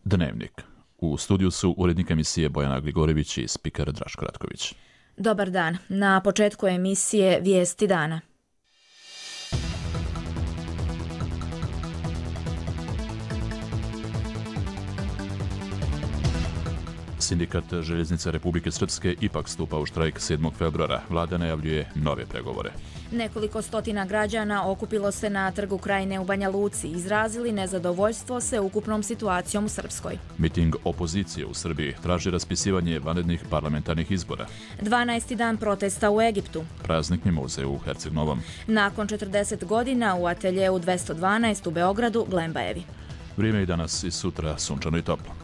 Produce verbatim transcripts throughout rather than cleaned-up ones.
Dnevnik. U studiju su urednik emisije Bojana Gligorivić i spiker Draško Ratković. Dobar dan. Na početku emisije Vijesti dana. Sindikat Željeznica Republike Srpske ipak stupa u štrajk sedmog februara. Vlada najavljuje nove pregovore. Nekoliko stotina građana okupilo se na Trgu Krajine u Banja Luci i izrazili nezadovoljstvo sveukupnom situacijom u Srpskoj. Miting opozicije u Srbiji traži raspisivanje vanrednih parlamentarnih izbora. dvanaesti dan protesta u Egiptu. Praznik mimoze u Herceg-Novom. Nakon četrdeset godina u ateljeu dvesta dvanaest u Beogradu Glembajevi. Vrijeme i danas i sutra sunčano i toplo.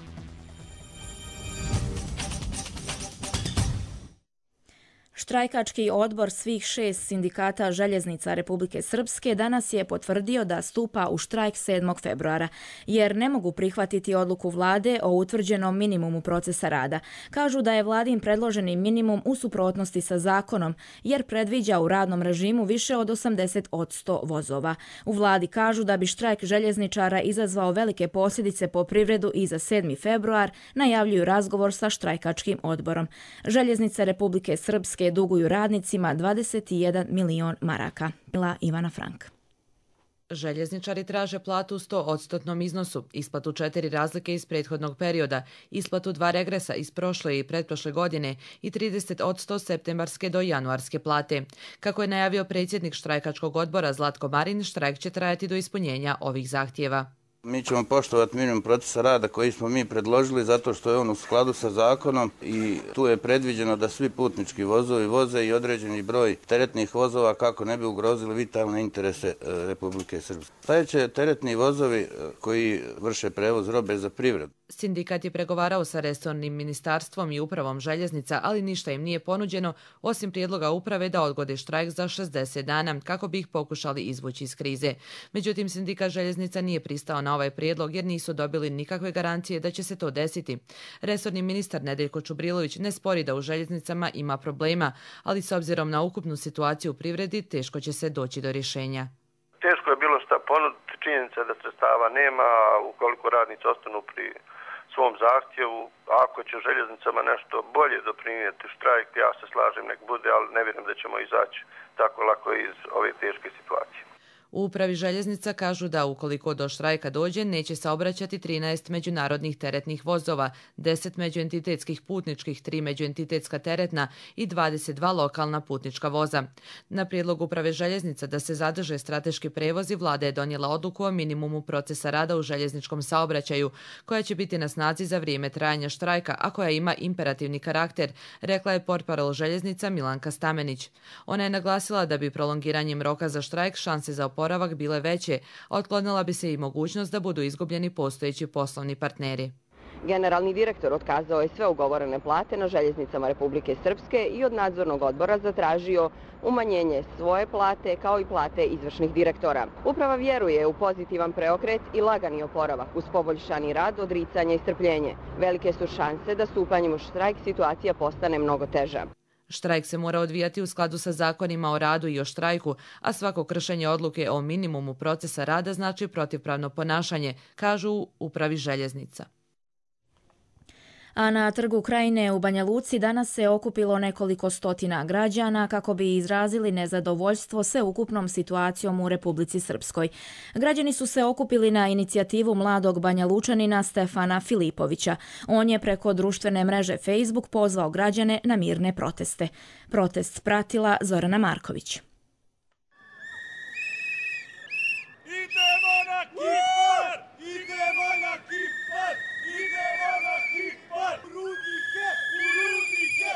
Štrajkački odbor svih šest sindikata Željeznica Republike Srpske danas je potvrdio da stupa u štrajk sedmog februara, jer ne mogu prihvatiti odluku vlade o utvrđenom minimumu procesa rada. Kažu da je vladin predloženi minimum u suprotnosti sa zakonom, jer predviđa u radnom režimu više od osamdeset posto vozova. U vladi kažu da bi štrajk željezničara izazvao velike posljedice po privredu i za sedmi februar najavljuju razgovor sa štrajkačkim odborom. Željeznica Republike Srpske duguju radnicima dvadeset jedan milion maraka. Bila Ivana Frank. Željezničari traže platu u sto odstotnom iznosu, isplatu četiri razlike iz prethodnog perioda, isplatu dva regresa iz prošle i pretprošle godine i trideset odsto septembarske do januarske plate. Kako je najavio predsjednik štrajkačkog odbora Zlatko Marin, štrajk će trajati do ispunjenja ovih zahtjeva. Mi ćemo poštovati minimum procesa rada koji smo mi predložili zato što je on u skladu sa zakonom i tu je predviđeno da svi putnički vozovi voze i određeni broj teretnih vozova kako ne bi ugrozili vitalne interese Republike Srpske. Sljedeće teretni vozovi koji vrše prevoz robe za privredu. Sindikat je pregovarao sa resornim ministarstvom i upravom željeznica, ali ništa im nije ponuđeno, osim prijedloga uprave da odgode štrajk za šezdeset dana, kako bi ih pokušali izvući iz krize. Međutim, sindikat željeznica nije pristao na ovaj prijedlog jer nisu dobili nikakve garancije da će se to desiti. Resorni ministar Nedeljko Čubrilović ne spori da u željeznicama ima problema, ali s obzirom na ukupnu situaciju u privredi teško će se doći do rješenja. Teško je bilo šta ponuditi, činjenica da sredstava nema, ukoliko radnici ostanu pri svom zahtjevu. Ako će željeznicama nešto bolje doprinijeti štrajk, ja se slažem, nek bude, ali ne vjerujem da ćemo izaći tako lako iz ove teške situacije. U upravi željeznica kažu da ukoliko do štrajka dođe, neće saobraćati trinaest međunarodnih teretnih vozova, deset međuentitetskih putničkih, tri međuentitetska teretna i dvadeset dva lokalna putnička voza. Na prijedlog uprave željeznica da se zadrže strateški prevozi, vlada je donijela odluku o minimumu procesa rada u željezničkom saobraćaju, koja će biti na snazi za vrijeme trajanja štrajka, a koja ima imperativni karakter, rekla je portparol željeznica Milanka Stamenić. Ona je naglasila da bi prolongiranjem roka za štrajk šanse za oporavak bile veće, a otklonila bi se i mogućnost da budu izgubljeni postojeći poslovni partneri. Generalni direktor otkazao je sve ugovorene plate na željeznicama Republike Srpske i od nadzornog odbora zatražio umanjenje svoje plate kao i plate izvršnih direktora. Uprava vjeruje u pozitivan preokret i lagani oporavak uz poboljšani rad, odricanje i strpljenje. Velike su šanse da stupanjem u štrajk situacija postane mnogo teža. Štrajk se mora odvijati u skladu sa zakonima o radu i o štrajku, a svako kršenje odluke o minimumu procesa rada znači protivpravno ponašanje, kažu u upravi željeznica. A na Trgu Krajine u Banja Luci danas se okupilo nekoliko stotina građana kako bi izrazili nezadovoljstvo sveukupnom situacijom u Republici Srpskoj. Građani su se okupili na inicijativu mladog Banja Lučanina Stefana Filipovića. On je preko društvene mreže Facebook pozvao građane na mirne proteste. Protest pratila Zorana Marković. Idemo na Kipar! Idemo na Kipar! Idemo na Kipar! Rudnike! Rudnike!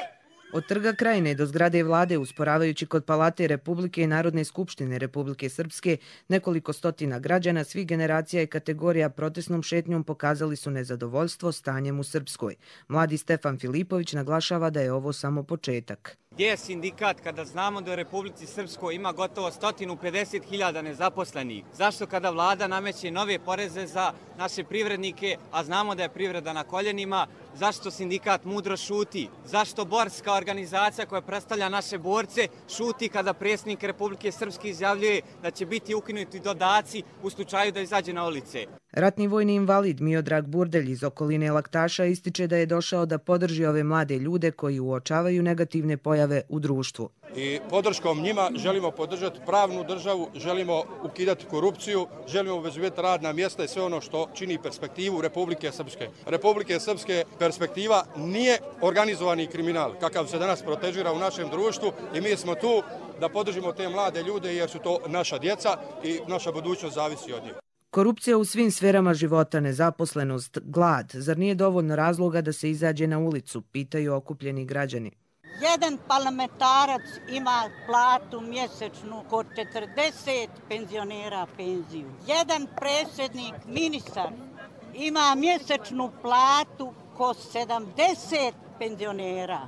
Od Trga Krajine do zgrade vlade, usporavajući kod Palate Republike i Narodne skupštine Republike Srpske, nekoliko stotina građana svih generacija i kategorija protestnom šetnjom pokazali su nezadovoljstvo stanjem u Srpskoj. Mladi Stefan Filipović naglašava da je ovo samo početak. Gdje je sindikat kada znamo da u Republici Srpskoj ima gotovo sto pedeset hiljada nezaposlenih? Zašto kada vlada nameće nove poreze za naše privrednike, a znamo da je privreda na koljenima, zašto sindikat mudro šuti? Zašto borska organizacija koja predstavlja naše borce šuti kada predsjednik Republike Srpske izjavljuje da će biti ukinuti dodaci u slučaju da izađe na ulice? Ratni vojni invalid Miodrag Burdelj iz okoline Laktaša ističe da je došao da podrži ove mlade ljude koji uočavaju negativne pojave u društvu. I podrškom njima želimo podržati pravnu državu, želimo ukidati korupciju, želimo obezbediti radna mjesta i sve ono što čini perspektivu Republike Srpske. Republike Srpske perspektiva nije organizovani kriminal, kakav se danas protežira u našem društvu i mi smo tu da podržimo te mlade ljude jer su to naša djeca i naša budućnost zavisi od njih. Korupcija u svim sferama života, nezaposlenost, glad, zar nije dovoljno razloga da se izađe na ulicu, pitaju okupljeni građani. Jedan parlamentarac ima platu mjesečnu kod četrdeset penzionera penziju. Jedan predsjednik, ministar, ima mjesečnu platu kod sedamdeset penzionera.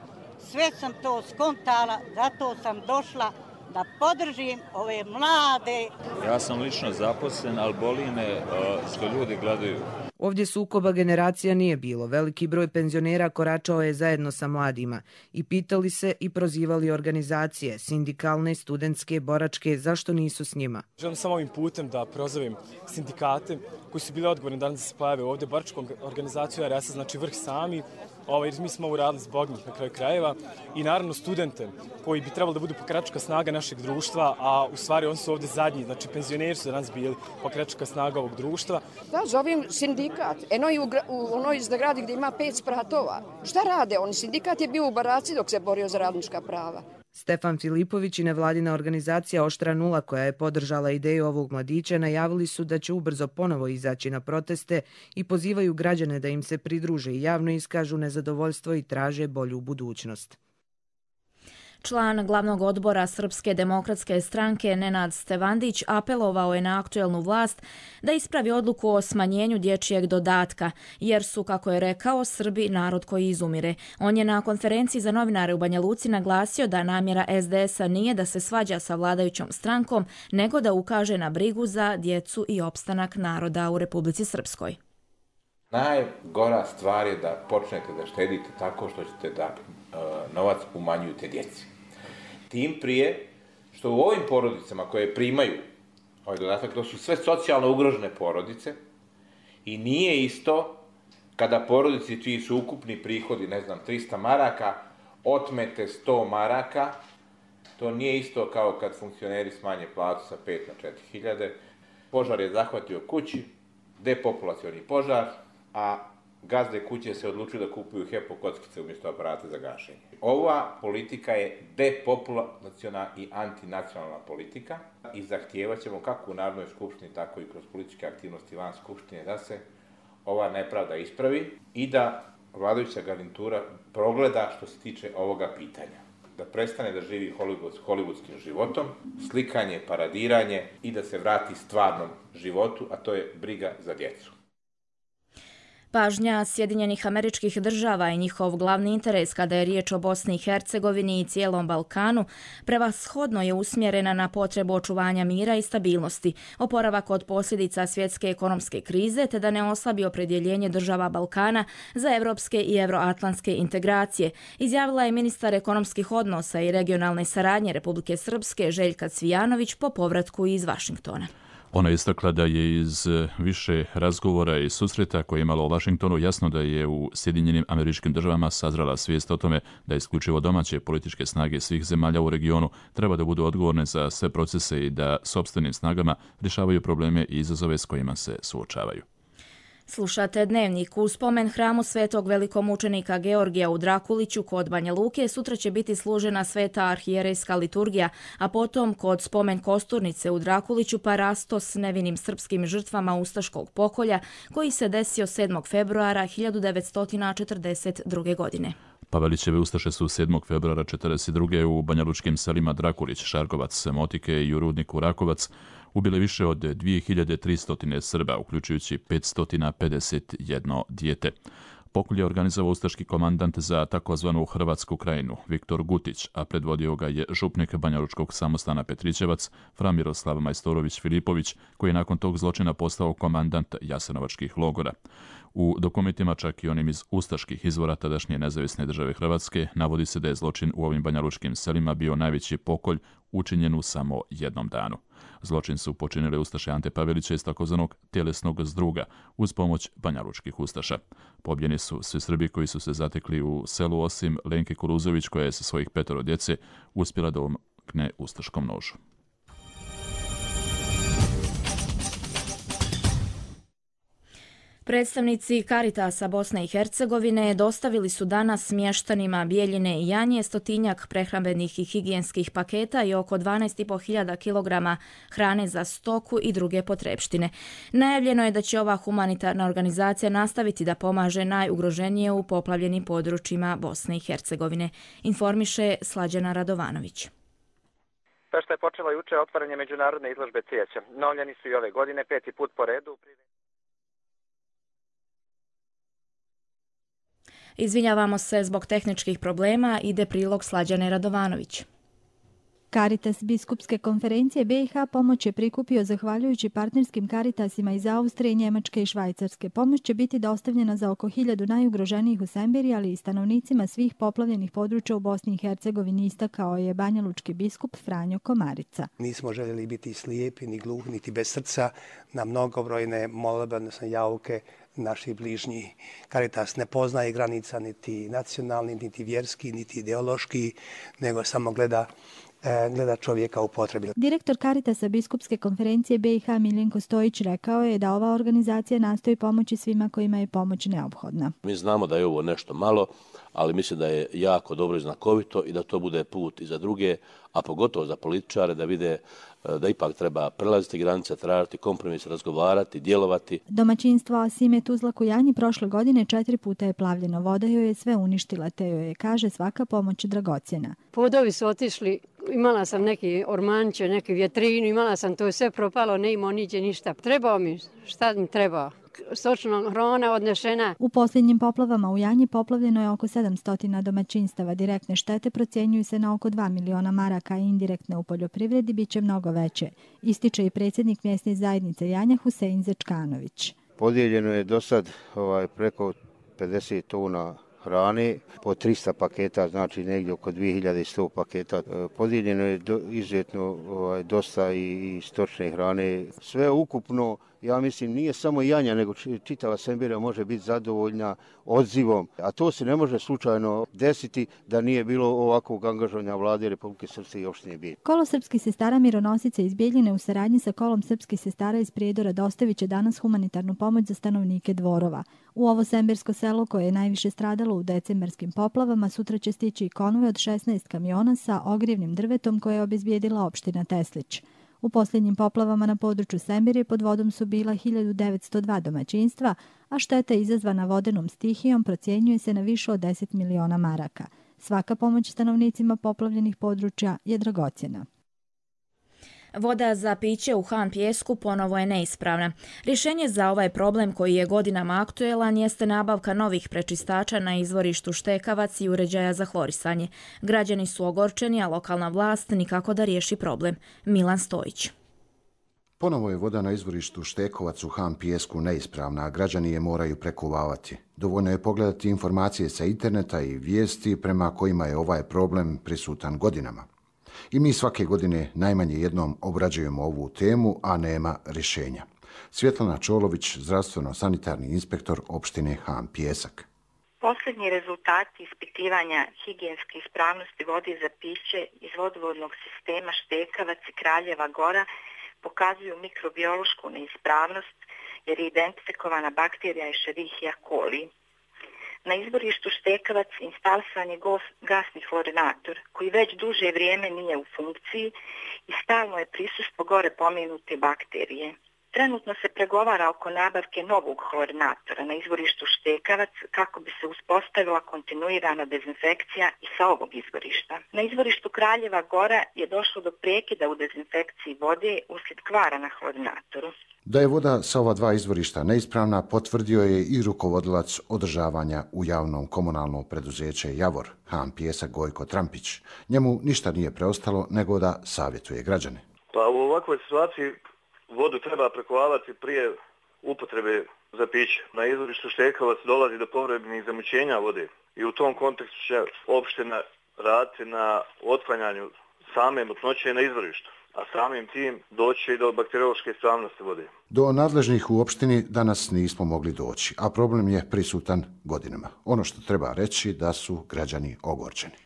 Sve sam to skontala, zato sam došla da podržim ove mlade. Ja sam lično zaposlen, ali boli me što ljudi gledaju. Ovdje sukoba generacija nije bilo. Veliki broj penzionera koračao je zajedno sa mladima i pitali se i prozivali organizacije, sindikalne, studentske, boračke, zašto nisu s njima. Želim samo ovim putem da prozovem sindikate koji su bili odgovorni danas da se pojave ovdje. Boračku organizaciju R S, znači vrh sami, ovaj, mi smo ovo radili zbog njih na kraju krajeva i naravno studente koji bi trebali da budu pokračka snaga našeg društva, a u stvari oni su ovdje zadnji, znači penzioneri su danas bili pokračka snaga ovog društva. Da, zovem sindikat, eno i u, u onoj zgradi gdje ima pet spratova. Šta rade oni? Sindikat je bio u baraci dok se borio za radnička prava. Stefan Filipović i nevladina organizacija Oštra nula, koja je podržala ideju ovog mladića, najavili su da će ubrzo ponovo izaći na proteste i pozivaju građane da im se pridruže i javno iskažu nezadovoljstvo i traže bolju budućnost. Član glavnog odbora Srpske demokratske stranke Nenad Stevandić apelovao je na aktuelnu vlast da ispravi odluku o smanjenju dječjeg dodatka, jer su, kako je rekao, Srbi narod koji izumire. On je na konferenciji za novinare u Banja Luci naglasio da namjera S D S-a nije da se svađa sa vladajućom strankom, nego da ukaže na brigu za djecu i opstanak naroda u Republici Srpskoj. Najgora stvar je da počnete da štedite tako što ćete da uh, novac umanjujete djeci. Tim prije što u ovim porodicama koje primaju ovaj dodatak, to su sve socijalno ugrožene porodice i nije isto kada porodici čiji su ukupni prihodi, ne znam, trista maraka, otmete sto maraka, to nije isto kao kad funkcioneri smanje platu sa pet na četiri hiljade. Požar je zahvatio kući, depopulacioni požar, a gazde kuće se odlučuju da kupuju Hepo kockice umjesto aparata za gašenje. Ova politika je depopulaciona i antinacionalna politika i zahtijevat ćemo kako u Narodnoj skupštini, tako i kroz političke aktivnosti van skupštine da se ova nepravda ispravi i da vladajuća garnitura progleda što se tiče ovoga pitanja. Da prestane da živi hollywoodskim životom, slikanje, paradiranje i da se vrati stvarnom životu, a to je briga za djecu. Pažnja Sjedinjenih Američkih Država i njihov glavni interes kada je riječ o Bosni i Hercegovini i cijelom Balkanu prevashodno je usmjerena na potrebu očuvanja mira i stabilnosti, oporavak od posljedica svjetske ekonomske krize te da ne oslabi opredjeljenje država Balkana za evropske i euroatlantske integracije, izjavila je ministar ekonomskih odnosa i regionalne saradnje Republike Srpske Željka Cvijanović po povratku iz Vašingtona. Ona je istakla da je iz više razgovora i susreta koje je imala u Vašingtonu jasno da je u Sjedinjenim Američkim Državama sazrela svijest o tome da isključivo domaće političke snage svih zemalja u regionu treba da budu odgovorne za sve procese i da sopstvenim snagama rješavaju probleme i izazove s kojima se suočavaju. Slušate Dnevnik. U spomen hramu svetog velikomučenika Georgija u Drakuliću kod Banja Luke sutra će biti služena sveta arhijerejska liturgija, a potom kod spomen kosturnice u Drakuliću parasto s nevinim srpskim žrtvama ustaškog pokolja koji se desio sedmog februara hiljadu devetsto četrdeset druge. godine. Pavelićeve ustaše su sedmog februara četrdeset druge u banjalučkim selima Drakulić, Šarkovac, Motike i u rudniku Rakovac ubile više od dvije hiljade tristo Srba, uključujući petsto pedeset jedno dijete. Pokolj je organizovao ustaški komandant za takozvanu Hrvatsku krajinu, Viktor Gutić, a predvodio ga je župnik banjalučkog samostana Petrićevac, fra Miroslav Majstorović Filipović, koji je nakon tog zločina postao komandant jasenovačkih logora. U dokumentima, čak i onim iz ustaških izvora tadašnje nezavisne države Hrvatske, navodi se da je zločin u ovim banjalučkim selima bio najveći pokolj učinjen u samo jednom danu. Zločin su počinili ustaše Ante Pavelića iz takozvanog tjelesnog zdruga uz pomoć banjalučkih ustaša. Pobijeni su svi Srbi koji su se zatekli u selu osim Lenke Kuruzović koja je sa svojih petoro djece uspjela da omkne ustaškom nožu. Predstavnici Caritasa Bosne i Hercegovine dostavili su danas mještanima Bijeljine i Janje stotinjak prehrambenih i higijenskih paketa i oko dvanaest i po hiljada kilograma hrane za stoku i druge potrepštine. Najavljeno je da će ova humanitarna organizacija nastaviti da pomaže najugroženije u poplavljenim područjima Bosne i Hercegovine, informiše Slađana Radovanović. Pešta je počela juče otvaranje međunarodne izložbe cvijeća. Novljeni su i ove godine peti put po redu. Izvinjavamo se zbog tehničkih problema, ide prilog Slađane Radovanović. Caritas Biskupske konferencije B i H pomoć je prikupio zahvaljujući partnerskim Caritasima iz Austrije, Njemačke i Švajcarske. Pomoć će biti dostavljena za oko hiljadu najugroženijih u Sembiri, ali i stanovnicima svih poplavljenih područja u Bosni i Hercegovini, istakao je banjalučki biskup Franjo Komarica. Nismo željeli biti slijepi, ni gluhi, niti bez srca na mnogobrojne molbe, odnosno jauke naših bližnjih. Caritas ne poznaje granica niti nacionalni, niti vjerski, niti ideološki, nego samo gleda gleda čovjeka u potrebi. Direktor Caritasa Biskupske konferencije B i H Miljenko Stojić rekao je da ova organizacija nastoji pomoći svima kojima je pomoć neophodna. Mi znamo da je ovo nešto malo, ali mislim da je jako dobro i znakovito i da to bude put i za druge, a pogotovo za političare da vide da ipak treba prelaziti granice, tražiti kompromis, razgovarati, djelovati. Domaćinstvo Asime Tuzlak u Janji prošle godine četiri puta je plavljeno. Voda joj je sve uništila, te joj je, kaže, svaka pomoć dragocjena. Podovi su otišli, imala sam neki ormanče, neki vjetrinu, imala sam to sve propalo, ne imao niđe ništa. Trebao mi, šta mi trebao? Stočna hrana odnešena. U posljednjim poplavama u Janji poplavljeno je oko sedamsto domaćinstava. Direktne štete procjenjuju se na oko dva miliona maraka, a indirektne u poljoprivredi bit će mnogo veće, ističe i predsjednik mjesne zajednice Janja Husein Zečkanović. Podijeljeno je do sad ovaj, preko pedeset tona hrane, po trista paketa, znači negdje oko dvije hiljade sto paketa. Podijeljeno je do, izuzetno ovaj, dosta i, i stočne hrane. Sve ukupno, ja mislim, nije samo Janja, nego čitava Sembira može biti zadovoljna odzivom. A to se ne može slučajno desiti da nije bilo ovakvog angažovanja vlade Republike Srpske i opštine Bijeljina. Kolo srpskih sestara mironosice iz Bijeljine u saradnji sa kolom srpskih sestara iz Prijedora dostavit će danas humanitarnu pomoć za stanovnike Dvorova. U ovo sembersko selo koje je najviše stradalo u decembarskim poplavama sutra će stići i konvoj od šesnaest kamiona sa ogrijevnim drvetom koje je obezbijedila opština Teslić. U posljednjim poplavama na području Sembire pod vodom su bila hiljadu devetsto dva domaćinstva, a šteta izazvana vodenom stihijom procjenjuje se na više od deset miliona maraka. Svaka pomoć stanovnicima poplavljenih područja je dragocjena. Voda za piće u Han Pijesku ponovo je neispravna. Rješenje za ovaj problem koji je godinama aktuelan jeste nabavka novih prečistača na izvorištu Štekavac i uređaja za hlorisanje. Građani su ogorčeni, a lokalna vlast nikako da riješi problem. Milan Stojić. Ponovo je voda na izvorištu Štekovac u Han Pijesku neispravna, a građani je moraju prekuvavati. Dovoljno je pogledati informacije sa interneta i vijesti prema kojima je ovaj problem prisutan godinama. I mi svake godine najmanje jednom obrađujemo ovu temu, a nema rješenja. Svjetlana Čolović, zdravstveno-sanitarni inspektor opštine Han Pijesak. Posljednji rezultati ispitivanja higijenske ispravnosti vode za piće iz vodovodnog sistema Štekavac i Kraljeva Gora pokazuju mikrobiološku neispravnost jer je identifikovana bakterija Escherichia coli. Na izvorištu Štekavac instalisan je gasni fluorinator koji već duže vrijeme nije u funkciji i stalno je prisustvo gore pomenute bakterije. Trenutno se pregovara oko nabavke novog fluorinatora na izvorištu Štekavac kako bi se uspostavila kontinuirana dezinfekcija i sa ovog izvorišta. Na izvorištu Kraljeva Gora je došlo do prekida u dezinfekciji vode uslijed kvara na fluorinatoru. Da je voda sa ova dva izvorišta neispravna potvrdio je i rukovodilac održavanja u javnom komunalnom preduzeće Javor, Han Pijesak Gojko Trampić. Njemu ništa nije preostalo nego da savjetuje građane. Pa u ovakvoj situaciji vodu treba prekovavati prije upotrebe za piće. Na izvorištu Štekavac dolazi do povremenih zamućenja vode i u tom kontekstu će opština raditi na otklanjanju same mutnoće na izvorištu. a samim tim doći i do bakteriološke ispravnosti vode. Do nadležnih u opštini danas nismo mogli doći, a problem je prisutan godinama. Ono što treba reći da su građani ogorčeni.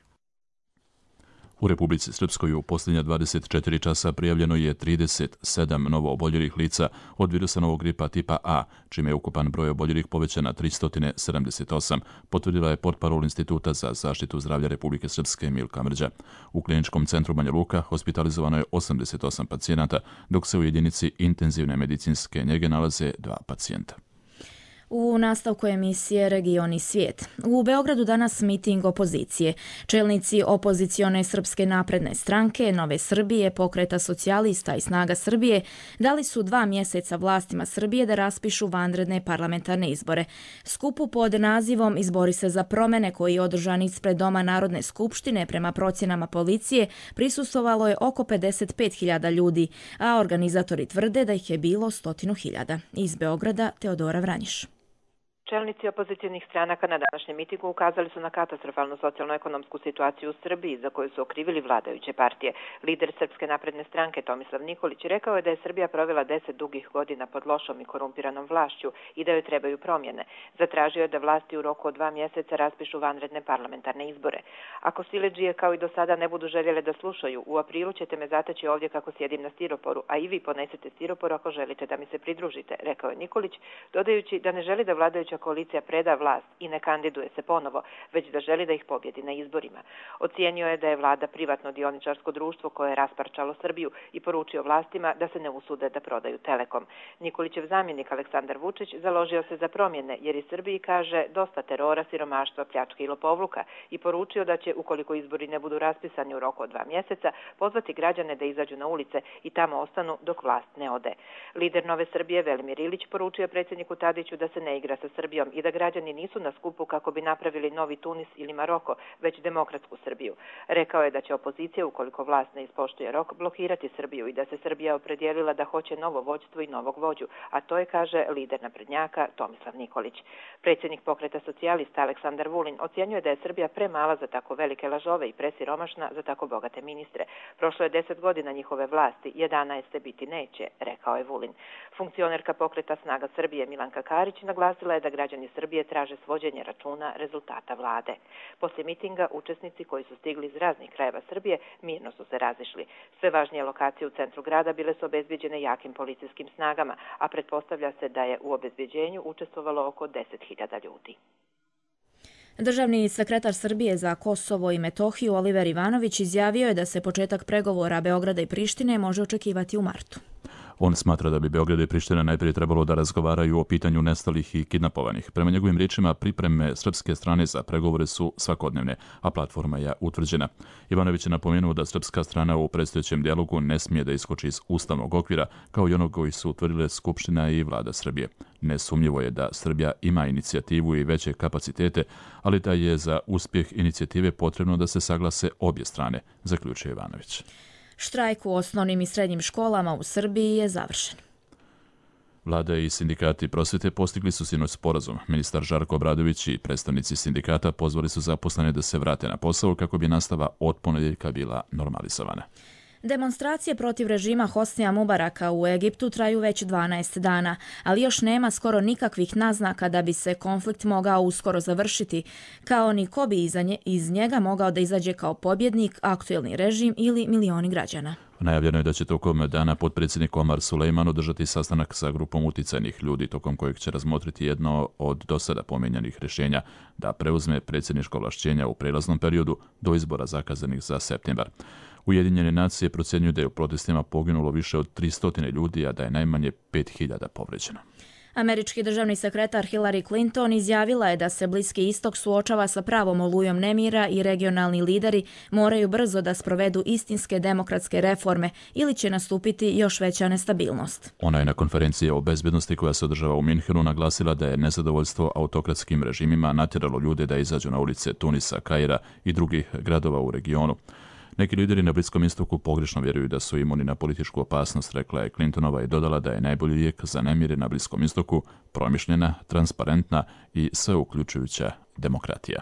U Republici Srpskoj u posljednja dvadeset četiri časa prijavljeno je trideset sedam novo oboljelih lica od virusa novog gripa tipa A, čime je ukupan broj oboljelih povećan na tristo sedamdeset osam, potvrdila je portparol Instituta za zaštitu zdravlja Republike Srpske Milka Mrđa. U kliničkom centru Banja Luka hospitalizovano je osamdeset osam pacijenata, dok se u jedinici intenzivne medicinske njege nalaze dva pacijenta. U nastavku emisije Region i svijet. U Beogradu danas miting opozicije. Čelnici opozicione Srpske napredne stranke, Nove Srbije, Pokreta socijalista i Snaga Srbije dali su dva mjeseca vlastima Srbije da raspišu vanredne parlamentarne izbore. Skupu pod nazivom Izbori se za promjene, koji je održan ispred Doma Narodne skupštine prema procjenama policije, prisustvovalo je oko pedeset pet hiljada ljudi, a organizatori tvrde da ih je bilo stotinu hiljada. Iz Beograda Teodora Vranjiš. Čelnici opozicijnih stranaka na današnjem mitingu ukazali su na katastrofalnu socijalno-ekonomsku situaciju u Srbiji za koju su okrivili vladajuće partije. Lider Srpske napredne stranke Tomislav Nikolić rekao je da je Srbija provela deset dugih godina pod lošom i korumpiranom vlašću i da joj trebaju promjene. Zatražio je da vlasti u roku od dva mjeseca raspišu vanredne parlamentarne izbore. Ako siledžije kao i do sada ne budu željele da slušaju, u aprilu ćete me zateći ovdje kako sjedim na stiroporu, a i vi ponesete stiropor ako želite da mi se pridružite, rekao je Nikolić, dodajući da ne želi da vladajuća koalicija preda vlast i ne kandiduje se ponovo, već da želi da ih pobjedi na izborima. Ocijenio je da je vlada privatno dioničarsko društvo koje je rasparčalo Srbiju i poručio vlastima da se ne usude da prodaju Telekom. Nikolićev zamjenik Aleksandar Vučić založio se za promjene jer i Srbiji, kaže, dosta terora, siromaštva, pljačke i lopovluka i poručio da će, ukoliko izbori ne budu raspisani u roku od dva mjeseca, pozvati građane da izađu na ulice i tamo ostanu dok vlast ne ode. Lider Nove Srbije Velimir Ilić poručio predsjedniku Tadiću da se ne igra sa Srbijom i da građani nisu na skupu kako bi napravili novi Tunis ili Maroko, već demokratsku Srbiju. Rekao je da će opozicija, ukoliko vlast ne ispoštuje rok, blokirati Srbiju i da se Srbija opredijelila da hoće novo vođstvo i novog vođu, a to je, kaže, lider naprednjaka Tomislav Nikolić. Predsjednik Pokreta socijalista Aleksandar Vulin ocjenjuje da je Srbija premala za tako velike lažove i presiromašna za tako bogate ministre. Prošlo je deset godina njihove vlasti, jedanaeste biti neće, rekao je Vulin. Funkcionerka Pokreta Snaga Srbije Milanka Karić naglasila je da građani Srbije traže svođenje računa rezultata vlade. Poslije mitinga učesnici koji su stigli iz raznih krajeva Srbije mirno su se razišli. Sve važnije lokacije u centru grada bile su obezbjeđene jakim policijskim snagama, a pretpostavlja se da je u obezbjeđenju učestvovalo oko deset hiljada ljudi. Državni sekretar Srbije za Kosovo i Metohiju Oliver Ivanović izjavio je da se početak pregovora Beograda i Prištine može očekivati u martu. On smatra da bi Beograd i Priština najprije trebalo da razgovaraju o pitanju nestalih i kidnapovanih. Prema njegovim riječima, pripreme srpske strane za pregovore su svakodnevne, a platforma je utvrđena. Ivanović je napomenuo da srpska strana u predstojećem dijalogu ne smije da iskoči iz ustavnog okvira, kao i onog koji su utvrdile Skupština i vlada Srbije. Nesumnjivo je da Srbija ima inicijativu i veće kapacitete, ali da je za uspjeh inicijative potrebno da se saglase obje strane, zaključuje Ivanović. Štrajk u osnovnim i srednjim školama u Srbiji je završen. Vlada i sindikati prosvjete postigli su sinoć sporazum. Ministar Žarko Obradović i predstavnici sindikata pozvali su zaposlene da se vrate na posao kako bi nastava od ponedjeljka bila normalizovana. Demonstracije protiv režima Hosnija Mubaraka u Egiptu traju već dvanaest dana, ali još nema skoro nikakvih naznaka da bi se konflikt mogao uskoro završiti, kao ni ko bi iz njega mogao da izađe kao pobjednik, aktuelni režim ili milioni građana. Najavljeno je da će tokom dana potpredsjednik Omar Sulejman održati sastanak sa grupom uticajnih ljudi, tokom kojeg će razmotriti jedno od dosada pomenjanih rješenja da preuzme predsjedničko ovlašćenja u prijelaznom periodu do izbora zakazanih za septembar. Ujedinjene nacije procjenjuju da je u protestima poginulo više od tristo ljudi, a da je najmanje pet hiljada povređeno. Američki državni sekretar Hillary Clinton izjavila je da se Bliski istok suočava sa pravom olujom nemira i regionalni lideri moraju brzo da sprovedu istinske demokratske reforme ili će nastupiti još veća nestabilnost. Ona je na konferenciji o bezbednosti koja se održava u Minhenu naglasila da je nezadovoljstvo autokratskim režimima natjeralo ljude da izađu na ulice Tunisa, Kaira i drugih gradova u regionu. Neki lideri na Bliskom istoku pogrešno vjeruju da su imuni na političku opasnost, rekla je Clintonova i dodala da je najbolji lijek za nemire na Bliskom istoku promišljena, transparentna i sveuključujuća demokratija.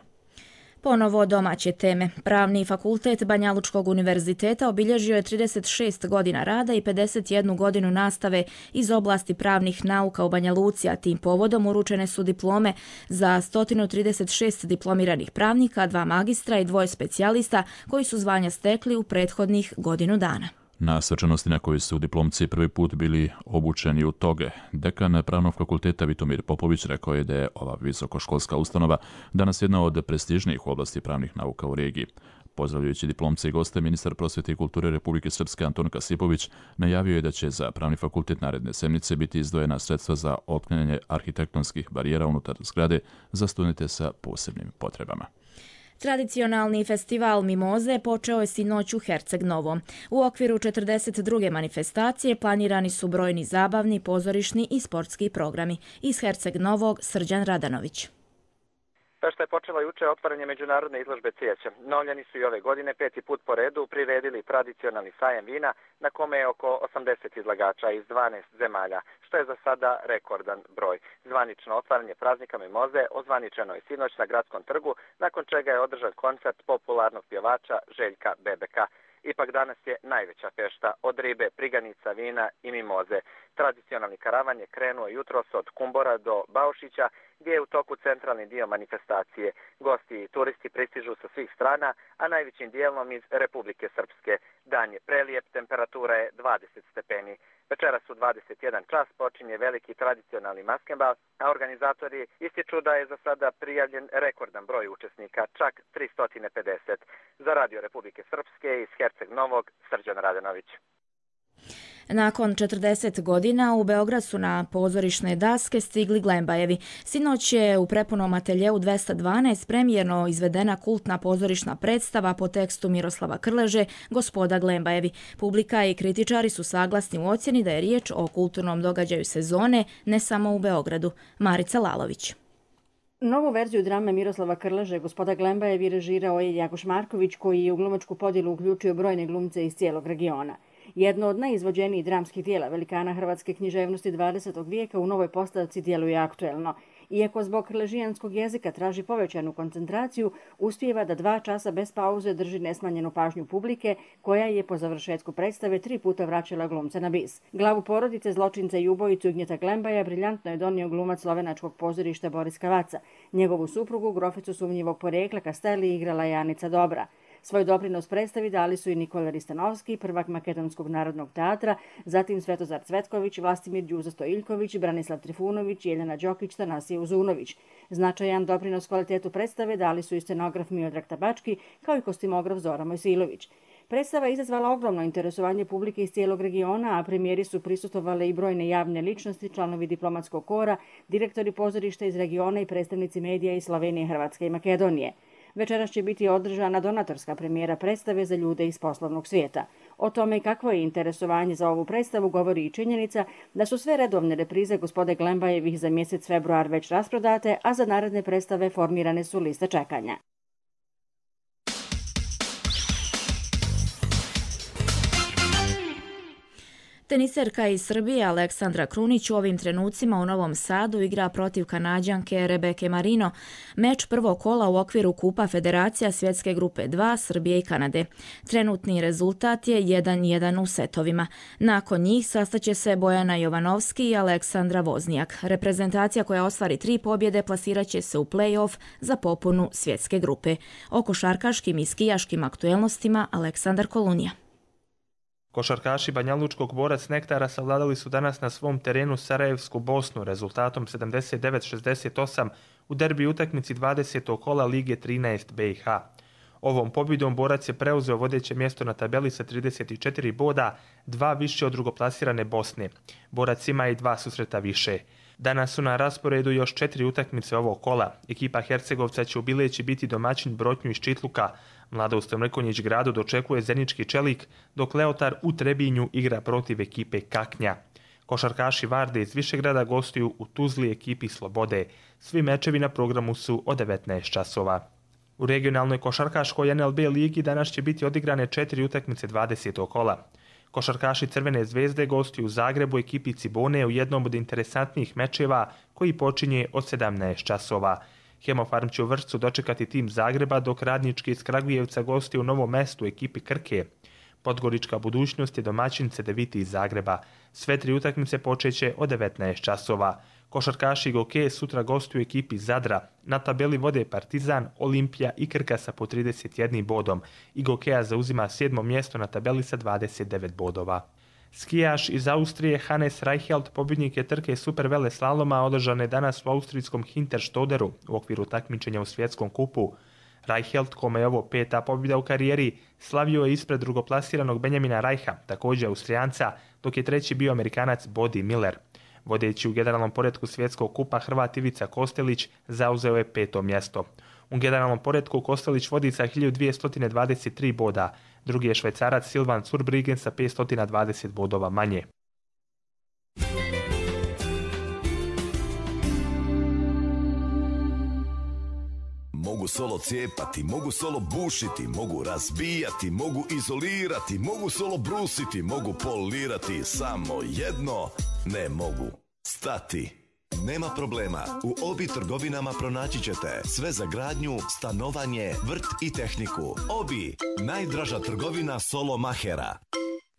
Ponovo domaće teme. Pravni fakultet Banjalučkog univerziteta obilježio je trideset šest godina rada i pedeset jednu godinu nastave iz oblasti pravnih nauka u Banja Luci, a tim povodom uručene su diplome za sto trideset šest diplomiranih pravnika, dva magistra i dvoje specijalista koji su zvanja stekli u prethodnih godinu dana. Na svečanosti na kojoj su diplomci prvi put bili obučeni u toge, dekan Pravnog fakulteta Vitomir Popović rekao je da je ova visokoškolska ustanova danas jedna od prestižnijih u oblasti pravnih nauka u regiji. Pozdravljajući diplomce i goste, ministar prosvete i kulture Republike Srpske Anton Kasipović najavio je da će za Pravni fakultet naredne sedmice biti izdvojena sredstva za otklanjanje arhitektonskih barijera unutar zgrade za studente sa posebnim potrebama. Tradicionalni festival Mimoze počeo je sinoć u Herceg Novom. U okviru četrdeset druge manifestacije planirani su brojni zabavni, pozorišni i sportski programi. Iz Herceg Novog Srđan Radanović. Pešta je počela juče otvaranje međunarodne izložbe cvijeća. Novljani su i ove godine peti put po redu priredili tradicionalni sajem vina na kome je oko osamdeset izlagača iz dvanaest zemalja, što je za sada rekordan broj. Zvanično otvaranje praznika Mimoze ozvaničeno je sinoć na Gradskom trgu, nakon čega je održan koncert popularnog pjevača Željka Bebeka. Ipak danas je najveća fešta od ribe, priganica, vina i mimoze. Tradicionalni karavan je krenuo jutros od Kumbora do Baušića, gdje je u toku centralni dio manifestacije. Gosti i turisti pristižu sa svih strana, a najvećim dijelom iz Republike Srpske. Dan je prelijep, temperatura je dvadeset stepeni. Večeras u dvadeset jedan čas počinje veliki tradicionalni maskenbal, a organizatori ističu da je za sada prijavljen rekordan broj učesnika, čak tristo pedeset. Za Radio Republike Srpske iz Herceg Novog, Srđan Radanović. Nakon četrdeset godina u Beograd su na pozorišne daske stigli Glembajevi. Sinoć je u prepunom ateljeu dvesta dvanaest premijerno izvedena kultna pozorišna predstava po tekstu Miroslava Krleže Gospoda Glembajevi. Publika i kritičari su saglasni u ocjeni da je riječ o kulturnom događaju sezone, ne samo u Beogradu. Marica Lalović. Novu verziju drame Miroslava Krleže Gospoda Glembajevi režirao je Jakoš Marković, koji je u glumačku podjelu uključio brojne glumce iz cijelog regiona. Jedno od najizvođenijih dramskih dijela velikana hrvatske književnosti dvadesetog vijeka u novoj postavci djeluje aktuelno. Iako zbog krležijanskog jezika traži povećanu koncentraciju, uspijeva da dva časa bez pauze drži nesmanjenu pažnju publike, koja je po završetku predstave tri puta vraćala glumca na bis. Glavu porodice, zločinca i ubojicu Ignjeta Glembaja briljantno je donio glumac slovenačkog pozorišta Boris Kavaca. Njegovu suprugu, groficu sumnjivog porekla Kasteli, igrala je Anica Dobra. Svoj doprinos predstavi dali su i Nikola Ristanovski, prvak Makedonskog narodnog teatra, zatim Svetozar Cvetković, Vlastimir Đuza Stojiljković, Branislav Trifunović, Jeljana Đokić, Tanasije Uzunović. Značajan doprinos kvalitetu predstave dali su i scenograf Miodrag Tabački, kao i kostimograf Zora Mojsilović. Predstava je izazvala ogromno interesovanje publike iz cijelog regiona, a premijeri su prisustvovale i brojne javne ličnosti, članovi diplomatskog kora, direktori pozorišta iz regiona i predstavnici medija iz Slovenije, Hrvatske i Makedonije. Večeras će biti održana donatorska premijera predstave za ljude iz poslovnog svijeta. O tome kakvo je interesovanje za ovu predstavu govori i činjenica da su sve redovne reprize Gospode Glembajevih za mjesec februar već rasprodate, a za naredne predstave formirane su liste čekanja. Teniserka iz Srbije Aleksandra Krunić u ovim trenucima u Novom Sadu igra protiv Kanađanke Rebeke Marino, meč prvog kola u okviru Kupa Federacija svjetske grupe dva Srbije i Kanade. Trenutni rezultat je jedan jedan u setovima. Nakon njih sastaće se Bojana Jovanovski i Aleksandra Voznijak. Reprezentacija koja ostvari tri pobjede plasirat će se u play-off za popunu svjetske grupe. O košarkaškim i skijaškim aktuelnostima Aleksandar Kolunija. Košarkaši Banjalučkog Borac Nektara savladali su danas na svom terenu Sarajevsku Bosnu rezultatom sedamdeset devet šezdeset osam u derbi utakmici dvadesetog kola Lige trinaest B i H. Ovom pobjedom Borac je preuzeo vodeće mjesto na tabeli sa trideset četiri boda, dva više od drugoplasirane Bosne. Borac ima i dva susreta više. Danas su na rasporedu još četiri utakmice ovog kola. Ekipa Hercegovca će u Bileći biti domaćin Brotnju iz Čitluka. Mladost u Mrkonjić gradu dočekuje Zenički Čelik, dok Leotar u Trebinju igra protiv ekipe Kaknja. Košarkaši Varde iz Višegrada gostuju u Tuzli ekipi Slobode. Svi mečevi na programu su od devetnaest časova. U regionalnoj košarkaškoj N L B ligi danas će biti odigrane četiri utakmice dvadesetog kola. Košarkaši Crvene zvezde gostuju u Zagrebu ekipi Cibone u jednom od interesantnijih mečeva koji počinje od sedamnaest časova. Hemofarm će u Vršcu dočekati tim Zagreba, dok Radnički iz Kragujevca gosti u Novom Mestu ekipi Krke. Podgorička budućnost je domaćin Cedeviti iz Zagreba. Sve tri utakmice počeće od devetnaest časova. Košarkaši Goke sutra gostuju ekipi Zadra. Na tabeli vode Partizan, Olimpija i Krka sa po trideset jedan bodom. I Gokea zauzima sedmo mjesto na tabeli sa dvadeset devet bodova. Skijaš iz Austrije Hannes Reichelt, pobjednik je trke supervele slaloma, održane danas u austrijskom Hinterstoderu u okviru takmičenja u svjetskom kupu. Reichelt, kome je ovo peta pobjeda u karijeri, slavio je ispred drugoplasiranog Benjamina Reicha, također Austrijanca, dok je treći bio Amerikanac Bodi Miller. Vodeći u generalnom poretku svjetskog kupa Hrvat Ivica Kostelić zauzeo je peto mjesto. U generalnom poretku Kostelić vodi sa hiljadu dvjesto dvadeset tri boda, drugi je Švajcarac Silvan Zurbriggen sa petsto dvadeset bodova manje. Mogu solo cijepati, mogu solo bušiti, mogu razbijati, mogu izolirati, mogu solo brusiti, mogu polirati, samo jedno ne mogu stati. Nema problema, u Obi trgovinama pronaći ćete sve za gradnju, stanovanje, vrt i tehniku. Obi, najdraža trgovina solo mahera.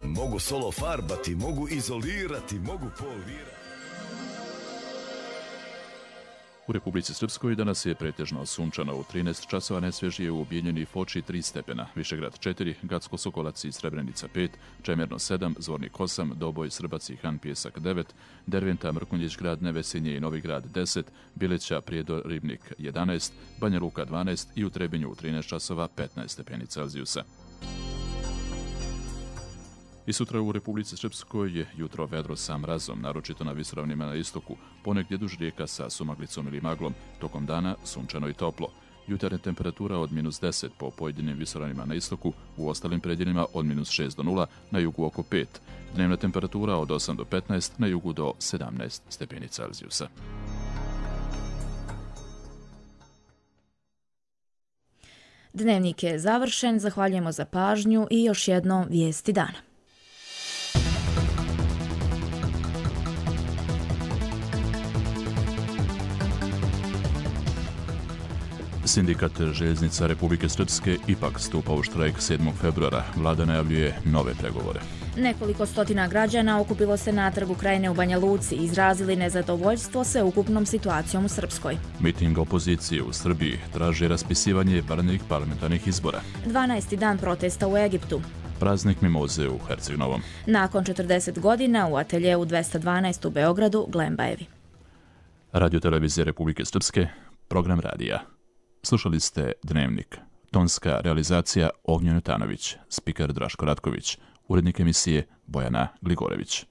Mogu solo farbati, mogu izolirati, mogu polirati. U Republici Srpskoj danas je pretežno sunčano, u trinaest časova najsvježije u Bijeljini Foči tri stepena, Višegrad četiri, Gacko Sokolac i Srebrenica pet, Čemerno sedam, Zvornik osam, Doboj, Srbac i Han Pjesak devet, Derventa, Mrkonjić grad, Nevesinje i Novi grad deset, Bileća, Prijedor, Ribnik jedanaest, Banja Luka dvanaest i u Trebinju u trinaest časova petnaest stepeni Celzijusa. I sutra u Republici Srpskoj je jutro vedro sa mrazom, naročito na visoravnima na istoku, ponegdje duž rijeka sa sumaglicom ili maglom, tokom dana sunčano i toplo. Jutarnja temperatura od minus deset po pojedinim visoravnima na istoku, u ostalim predjelima od minus šest do nula, na jugu oko pet. Dnevna temperatura od osam do petnaest, na jugu do sedamnaest stepeni Celzijusa. Dnevnik je završen, zahvaljujemo za pažnju i još jednom vijesti dana. Sindikat željeznica Republike Srpske ipak stupa u štrajk sedmog februara. Vlada najavljuje nove pregovore. Nekoliko stotina građana okupilo se na Trgu Krajine u Banja Luci i izrazili nezadovoljstvo sveukupnom situacijom u Srpskoj. Miting opozicije u Srbiji traži raspisivanje vanrednih parlamentarnih izbora. dvanaesti dan protesta u Egiptu. Praznik mimoze u Herceg-Novom. Nakon četrdeset godina u ateljeu dvesta dvanaest u Beogradu Glembajevi. Radio televizije Republike Srpske, program radija. Slušali ste Dnevnik. Tonska realizacija Ognjen Jutanović, spiker Draško Ratković, urednik emisije Bojana Gligorević.